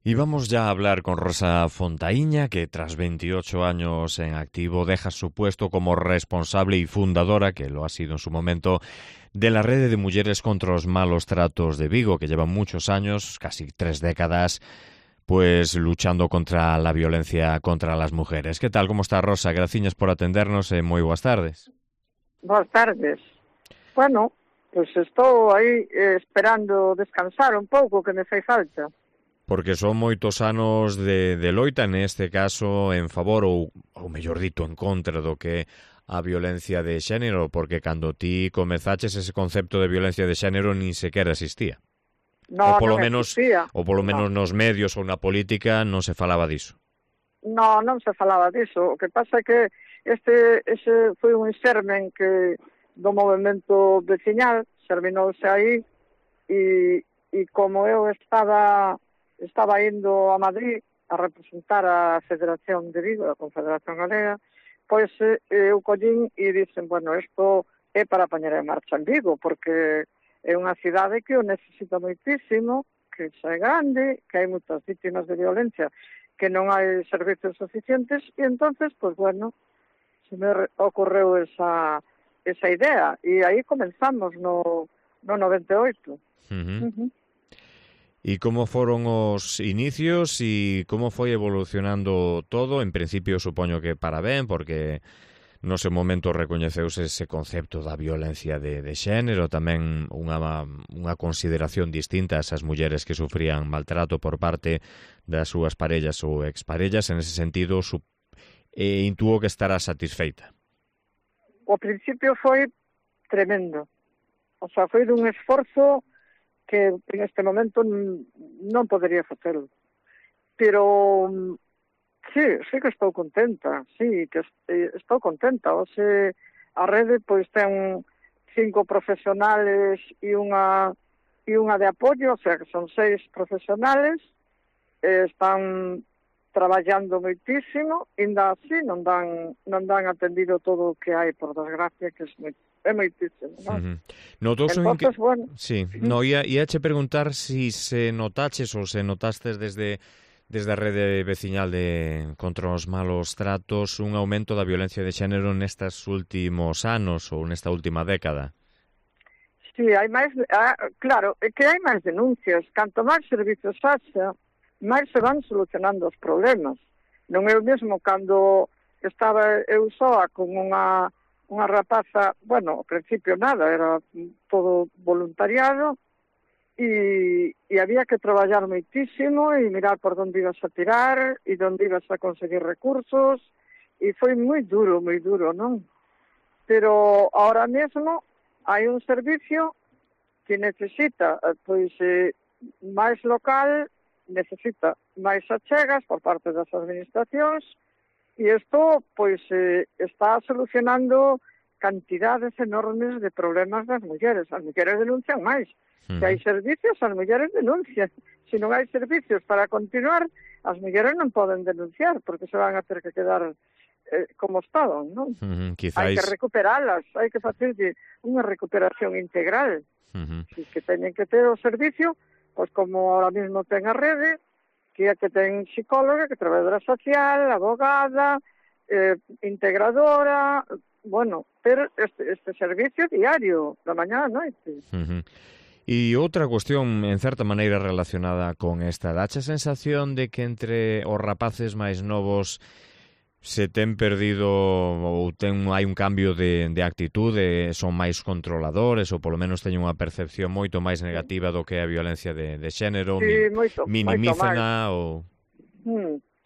Y vamos ya a hablar con Rosa Fontaíña, que tras 28 años en activo deja su puesto como responsable y fundadora, que lo ha sido en su momento, de la Red de Mujeres contra os Malos Tratos de Vigo, que lleva muchos años, casi 3 décadas, pues luchando contra la violencia contra las mujeres. ¿Qué tal? ¿Cómo está, Rosa? Graciñas por atendernos e moi boas tardes. Boas tardes. Bueno, pois estou aí esperando descansar un pouco, que me fai falta. Porque son moitos anos de loita, neste caso, en favor ou mellor dito, en contra do que a violencia de xénero, porque cando ti comezaches ese concepto de violencia de xénero nin sequera existía. No, non existía. Ou polo menos nos medios ou na política non se falaba diso. No, non se falaba diso. O que pasa é que ese foi un xermen que do movemento veciñal, xerminouse aí, e como eu estaba indo a Madrid a representar a Federación de Vigo, a Confederación Galega, pois eu collín e dicen, bueno, isto é para poñer en marcha en Vigo, porque é unha cidade que o necesita moitísimo, que xa é grande, que hai moitas vítimas de violencia, que non hai servicios suficientes, e entonces, pois bueno, se me ocorreu esa idea, e aí comenzamos no 98. E como foron os inicios e como foi evolucionando todo? En principio, supoño que para ben, porque no seu momento recoñeceuse ese concepto da violencia de xénero, tamén unha consideración distinta a esas mulleres que sufrían maltrato por parte das súas parellas ou exparellas. En ese sentido, intuo que estará satisfeita. O principio foi tremendo. O sea, foi dun esforzo que en este momento non podería facelo. Pero sí que estou contenta, sí, que estou contenta. Oxe, a rede pois ten 5 profesionales e unha de apoio, o sea, que son 6 profesionales, están traballando moitísimo, ainda así non dan atendido todo o que hai, por desgracia, que é moitísimo, non? Entonces, bueno... Sí, no, ia che preguntar si se notaches ou se notastes desde a rede veciñal contra os malos tratos un aumento da violencia de xénero nestes últimos anos ou nesta última década. Sí, hai máis... claro, é que hai máis denuncias. Canto máis servizos haxa, máis se van solucionando os problemas. Non é o mesmo cando estaba eu soa con unha rapaza, bueno, ao principio nada, era todo voluntariado, e había que traballar moitísimo e mirar por onde ibas a tirar e onde ibas a conseguir recursos, e foi moi duro, non? Pero ahora mesmo hai un servicio que necesita, pois, máis local, necesita máis achegas por parte das administracións, e isto, pois, está solucionando cantidades enormes de problemas das mulleres. As mulleres denuncian máis. Se hai servicios, as mulleres denuncian. Se non hai servicios para continuar, as mulleres non poden denunciar, porque se van a ter que quedar como estaban, non? Hai que recuperalas, hai que facerlle unha recuperación integral. Que teñen que ter o servicio, pois como ahora mismo ten a rede, que é que ten psicóloga, que trabadora social, abogada, integradora, bueno, ter este servicio diario, da mañá a noite. E outra cuestión, en certa maneira relacionada con esta, dache a sensación de que entre os rapaces máis novos se ten perdido ou hai un cambio de actitude, son máis controladores ou polo menos teñen unha percepción moito máis negativa do que é a violencia de xénero, minimízana ou...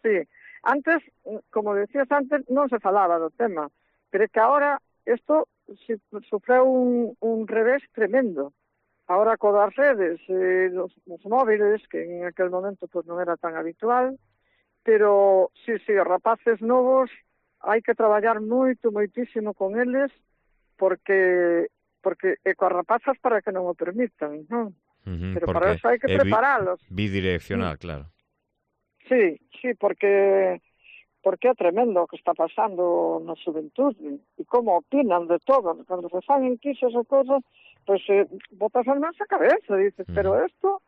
Sí, antes, como decías antes, non se falaba do tema, pero é que agora isto sufreu un revés tremendo. Ahora co das redes, dos móviles, que en aquel momento pues, non era tan habitual, pero sí, os rapaces novos hai que traballar moitísimo con eles, porque coas rapazas para que non o permitan, non? Pero para eso hai que preparalos. Bidireccional, claro. Sí, porque é tremendo o que está pasando na xuventude e como opinan de todo. Cando se fan enquixos ou cosas, pois botas as mans a cabeza, dices, pero isto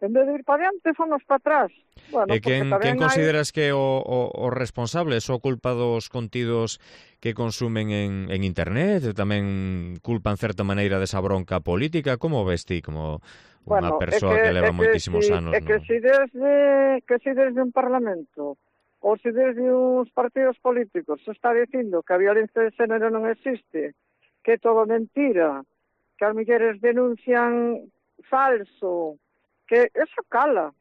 En vez de ir para diante, fomos para atrás. Bueno, E quen consideras que o responsable? Só culpa dos contidos que consumen en internet? Tamén culpa en certa maneira desa bronca política? Como ves ti, como unha persoa que leva moitísimos anos? Que si desde un parlamento ou se desde uns partidos políticos se está dicindo que a violencia de xénero non existe, que é todo mentira, que as mulleres denuncian falso, que eso cala.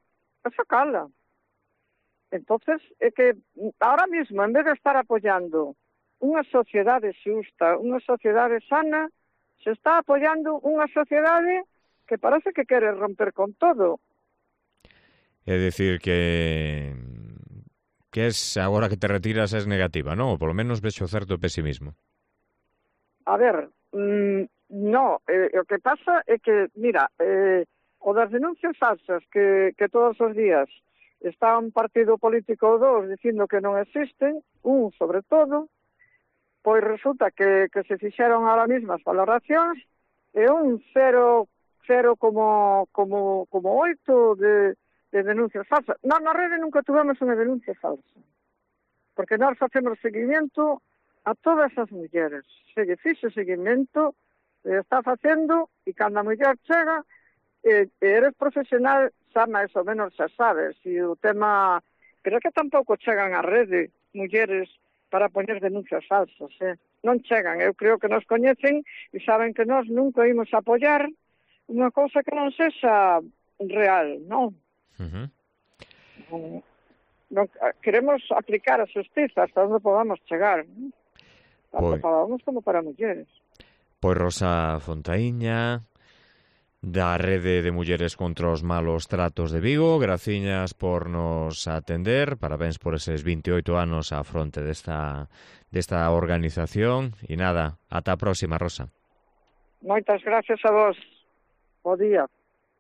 Entonces, é que ahora mismo, en vez de estar apoyando unha sociedade xusta, unha sociedade sana, se está apoyando unha sociedade que parece que quere romper con todo. É dicir que es, agora que te retiras, es negativa, non? Ou polo menos vexo certo pesimismo. A ver, no, o que pasa é que, mira, o das denuncias falsas que todos os días está un partido político ou dos dicindo que non existen, un sobre todo, pois resulta que se fixeron ahora mismo as valoracións e un 0,8 de denuncias falsas. Na rede nunca tuvemos unha denuncia falsa, porque nós facemos seguimento a todas as mulleres. Se lle fixe seguimento, está facendo, e cando a muller chega, eres profesional, xa máis ou menos xa sabes, e o tema, creo que tampouco chegan á rede mulleres para poñer denuncias falsas, non chegan, eu creo que nos coñecen e saben que nós nunca imos apoiar unha cousa que non sexa real, non? Non queremos aplicar a xustiza hasta onde podamos chegar, tanto para homens como para mulleres. Pois Rosa Fontaíña, da Rede de Mulleres contra os Malos Tratos de Vigo, graciñas por nos atender, parabéns por eses 28 anos á fronte desta organización, e nada, ata a próxima, Rosa. Moitas gracias a vos. Bo día.